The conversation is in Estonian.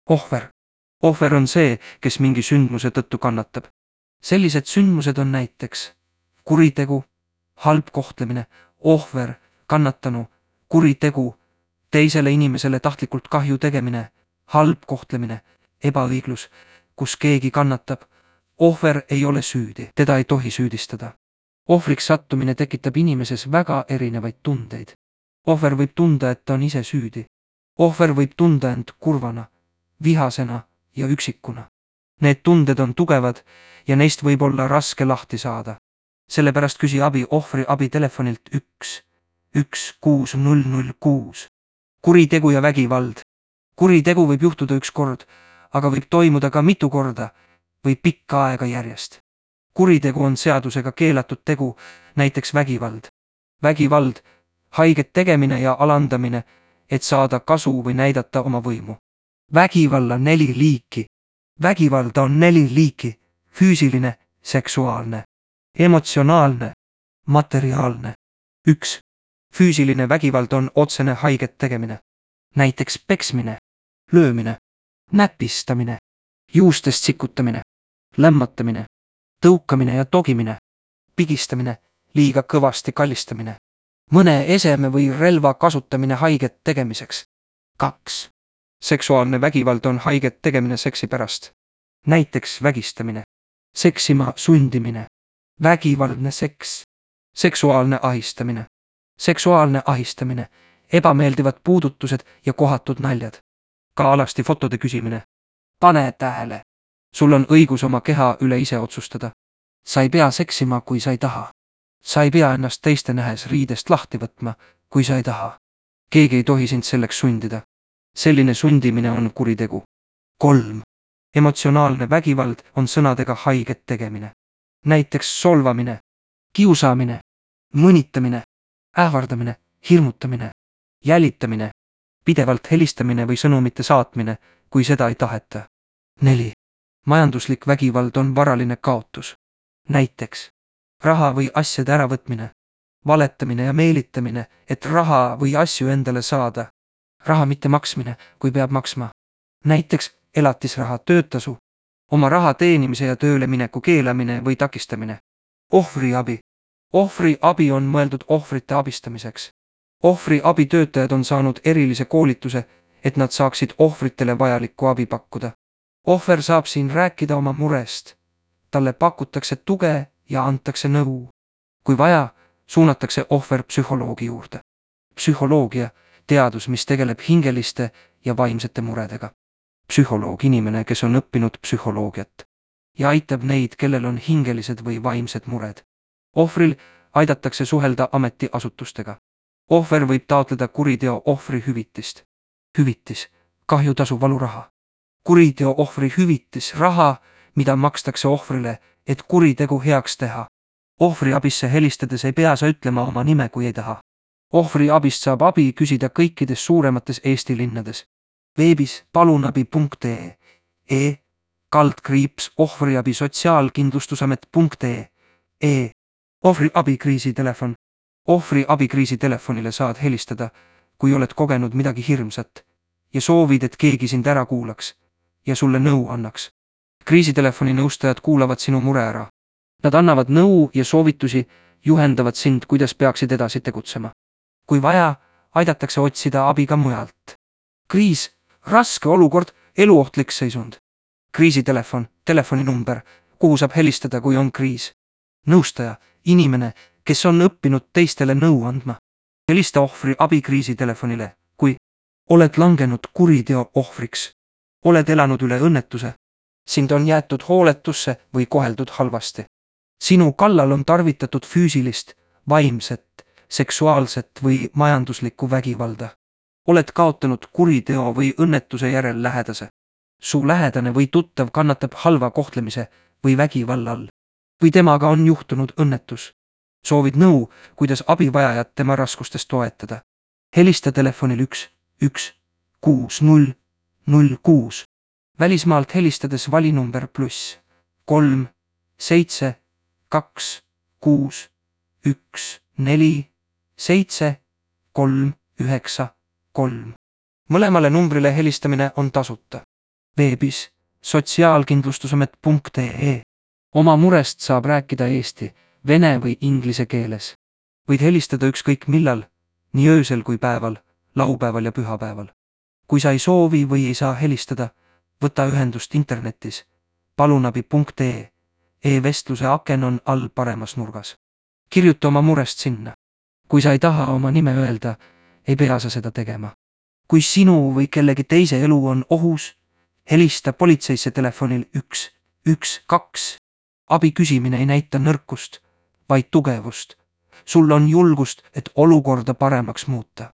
Ohver. Ohver on see, kes mingi sündmuse tõttu kannatab. Sellised sündmused on näiteks kuritegu, halb kohtlemine, ohver, kannatanu, kuritegu, teisele inimesele tahtlikult kahju tegemine, halb kohtlemine, ebaõiglus, kus keegi kannatab. Ohver ei ole süüdi, teda ei tohi süüdistada. Ohvriks sattumine tekitab inimeses väga erinevaid tundeid. Ohver võib tunda, et ta on ise süüdi. Ohver võib tunda end kurvana, vihasena ja üksikuna. Need tunded on tugevad ja neist võib olla raske lahti saada. Sellepärast küsi abi ohvri abitelefonilt 16006. Kuritegu ja vägivald. Kuritegu võib juhtuda üks kord, aga võib toimuda ka mitu korda või pikka aega järjest. Kuritegu on seadusega keelatud tegu, näiteks vägivald. Vägivald, haiget tegemine ja alandamine, et saada kasu või näidata oma võimu. Vägivalla 4 liiki. Vägivalda on 4 liiki: füüsiline, seksuaalne, emotsionaalne, materiaalne. 1. Füüsiline vägivald on otsene haiget tegemine. Näiteks peksmine, löömine, näpistamine, juustest sikutamine, lämmatamine, tõukamine ja togimine, pigistamine, liiga kõvasti kallistamine, mõne eseme või relva kasutamine haiget tegemiseks. 2. Seksuaalne vägivald on haiget tegemine seksi pärast. Näiteks vägistamine, seksima sundimine, vägivaldne seks, seksuaalne ahistamine. Seksuaalne ahistamine, ebameeldivad puudutused ja kohatud naljad. Ka alasti fotode küsimine. Pane tähele. Sul on õigus oma keha üle ise otsustada. Sa ei pea seksima, kui sa ei taha. Sa ei pea ennast teiste nähes riidest lahti võtma, kui sa ei taha. Keegi ei tohi sind selleks sundida. Selline sundimine on kuritegu. 3. Emotsionaalne vägivald on sõnadega haiget tegemine. Näiteks solvamine, kiusamine, mõnitamine, ähvardamine, hirmutamine, jälitamine, pidevalt helistamine või sõnumite saatmine, kui seda ei taheta. 4. Majanduslik vägivald on varaline kaotus. Näiteks raha või asjade äravõtmine, valetamine ja meelitamine, et raha või asju endale saada. Raha mitte maksmine, kui peab maksma. Näiteks elatisraha, töötasu, oma raha teenimise ja tööle mineku keelamine või takistamine. Ohvriabi. Ohvriabi on mõeldud ohvrite abistamiseks. Ohvriabitöötajad on saanud erilise koolituse, et nad saaksid ohvritele vajalikku abi pakkuda. Ohver saab siin rääkida oma murest. Talle pakutakse tuge ja antakse nõu. Kui vaja, suunatakse ohver psühholoogi juurde. Psühholoogia, teadus, mis tegeleb hingeliste ja vaimsete muredega. Psühholoog, inimene, kes on õppinud psühholoogiat ja aitab neid, kellel on hingelised või vaimsed mured. Ohvril aidatakse suhelda ametiasutustega. Ohver võib taotleda kuriteo ohvri hüvitist. Hüvitis, kahjutasu, valuraha. Kuriteo ohvri hüvitis, raha, mida makstakse ohvrile, et kuritegu heaks teha. Ohvriabisse helistades ei pea sa ütlema oma nime, kui ei taha. Ohvriabist saab abi küsida kõikides suuremates Eesti linnades. Veebis palunabi.ee, /ohvriabi sotsiaalkindlustusamet.ee. Ohvriabikriisitelefon. Ohvriabikriisitelefonile saad helistada, kui oled kogenud midagi hirmsat ja soovid, et keegi sind ära kuulaks ja sulle nõu annaks. Kriisitelefoni nõustajad kuulavad sinu mure ära. Nad annavad nõu ja soovitusi, juhendavad sind, kuidas peaksid edasi tegutsema. Kui vaja, aidatakse otsida abi ka mujalt. Kriis, raske olukord, eluohtlik seisund. Kriisitelefon, telefoninumber, kuhu saab helistada, kui on kriis. Nõustaja, inimene, kes on õppinud teistele nõu andma. Helista ohvri abikriisitelefonile, kui oled langenud kuriteo ohvriks. Oled elanud üle õnnetuse. Sind on jäetud hooletusse või koheldud halvasti. Sinu kallal on tarvitatud füüsilist, vaimset, seksuaalset või majanduslikku vägivalda. Oled kaotanud kuriteo või õnnetuse järel lähedase. Su lähedane või tuttav kannatab halva kohtlemise või vägivalla all. Või temaga on juhtunud õnnetus. Soovid nõu, kuidas abivajajat tema raskustes toetada. Helista telefonil 16006. Välismaalt helistades vali number +3 7 2 6 1 4 7 3 9 3. Mõlemale numbrile helistamine on tasuta. Veebis sotsiaalkindlustusamet.ee. Oma murest saab rääkida eesti, vene või inglise keeles. Võid helistada ükskõik millal, nii öösel kui päeval, laupäeval ja pühapäeval. Kui sa ei soovi või ei saa helistada, võta ühendust internetis palunabi.ee. E-vestluse aken on all paremas nurgas. Kirjuta oma murest sinna. Kui sa ei taha oma nime öelda, ei pea sa seda tegema. Kui sinu või kellegi teise elu on ohus, helista politseisse telefonil 112. Abi küsimine ei näita nõrkust, vaid tugevust. Sul on julgust, et olukorda paremaks muuta.